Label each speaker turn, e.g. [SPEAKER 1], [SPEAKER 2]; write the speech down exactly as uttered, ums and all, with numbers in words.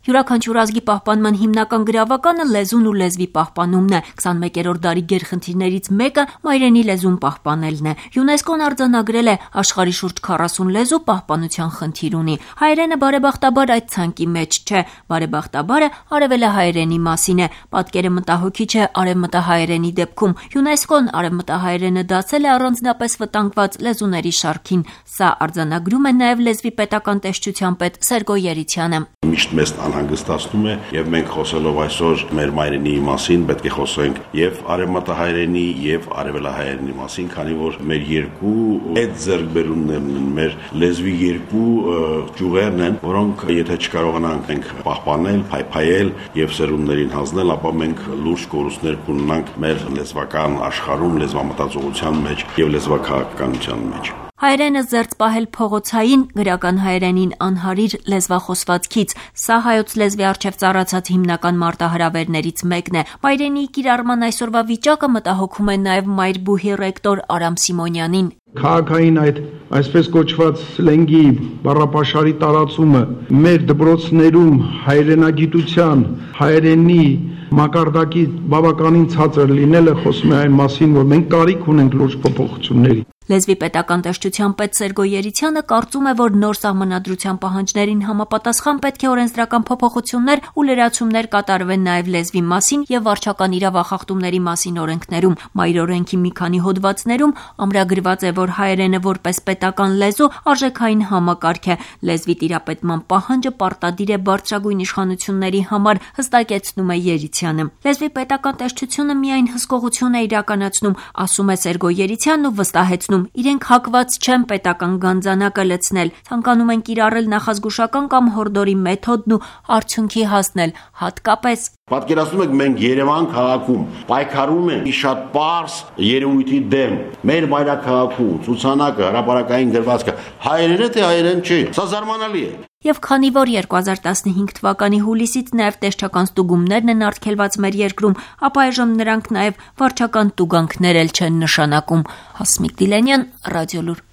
[SPEAKER 1] Յուրաքանչյուր ազգի պահպանման հիմնական գրավականը լեզուն ու լեզվի պահպանումն է։ քսանմեկերորդ դարի գերխնդիրներից մեկը մայրենի լեզուն պահպանելն է։ ՅՈՒՆԵՍԿՕ-ն արձանագրել է աշխարհի շուրջ քառասուն լեզու պահպանության խնդիր ունի։ Հայերենը բարեբախտաբար այդ ցանկի մեջ չէ։ Բարեբախտաբարը արևելահայերենի մասին է։ Պատկերը մտահոգիչ է արևմտահայերենի դեպքում։ ՅՈՒՆԵՍԿՕ-ն արևմտահայերենը դարձել է առանձնապես վտանգված լեզուների շարքին։ Սա արձանագրում է նաև լեզվի պետական տեսչության պետ Սերգո Երիցյանը։
[SPEAKER 2] Միշտ մեզ անհանգստացնում է, եւ մենք խոսելով այսօր մեր մայրենի մասին պետք է խոսենք եւ արևմտահայերենի եւ արևելահայերենի մասին, քանի որ մեր երկու այդ ձեռքբերումներն են, մեր լեզվի երկու ճյուղերն են, որոնք եթե չկարողանանք մենք պահպանել, փայփայել եւ սերունդներին հանձնել, ապա մենք լուրջ կորուստներ կունենանք մեր լեզվական աշխարհում, լեզվամտածողության մեջ եւ լեզվաքաղաքականության մեջ։
[SPEAKER 1] Հայերենը զերծ պահել փողոցային, գրական հայերենին անհարիր լեզվախոսվածքից։ Սա հայոց լեզվի առջև ծառացած հիմնական մարտահրավերներից մեկն է։ Մայրենի կիրառման այսօրվա վիճակը մտահոգում է նաև մայրբուհի ռեկտոր Արամ Սիմոնյանին։
[SPEAKER 3] Քաղաքային այդ այսպես կոչված սլենգի բառապաշարի տարածումը մեր դպրոցներում հայրենագիտության, հայերենի մակարդակի բավականին ցածր լինելը խոսում է այն մասին, որ մենք կարիք ունենք լուրջ փոփոխությունների։
[SPEAKER 1] Լեզվի պետական տեսչության պետ Սերգո Երիցյանը կարծում է, որ նոր սահմանադրության պահանջներին համապատասխան պետք է օրենսդրական փոփոխություններ ու լրացումներ կատարվեն նաև լեզվի մասին եւ վարչական իրավախախտումների մասին օրենքներում։ Մայրօրենքի մի քանի հոդվածներում ամրագրված է, որ հայերենը որպես պետական լեզու արժեքային համակարգ է։ Լեզվի տիրապետման պահանջը պարտադիր է բարձրագույն իշխանությունների համար, հստակեցնում է Երիցյանը։ Լեզվի պետական տեսչությունը միայն հսկողություն է իրականացնում, ասում է Սերգո Երիցյանն ու վստահեցնում իրենք հակված չեն պետական գանձանակը լցնել, ցանկանում են կիրառել նախազգուշական կամ հորդորի մեթոդն ու արդյունքի հասնել, հատկապես
[SPEAKER 2] Պատկերացնում եք մենք Երևան քաղաքում պայքարում ենք շատ պարզ երևույթի դեմ, մեր մայրաքաղաքում ցուցանակը, հրապարակային գրվածքը հայերեն է թե հայերեն չի, սա զարմանալի է։
[SPEAKER 1] Եվ քանի որ երկու հազար տասնհինգ թվականի հուլիսից նաև տեսչական ստուգումներն են արգելված մեր երկրում, ապա այժմ նրանք նաև վարչական տուգանքներ էլ չեն նշանակում։ Հասմիկ Դիլենյան, Ռադիոլուր։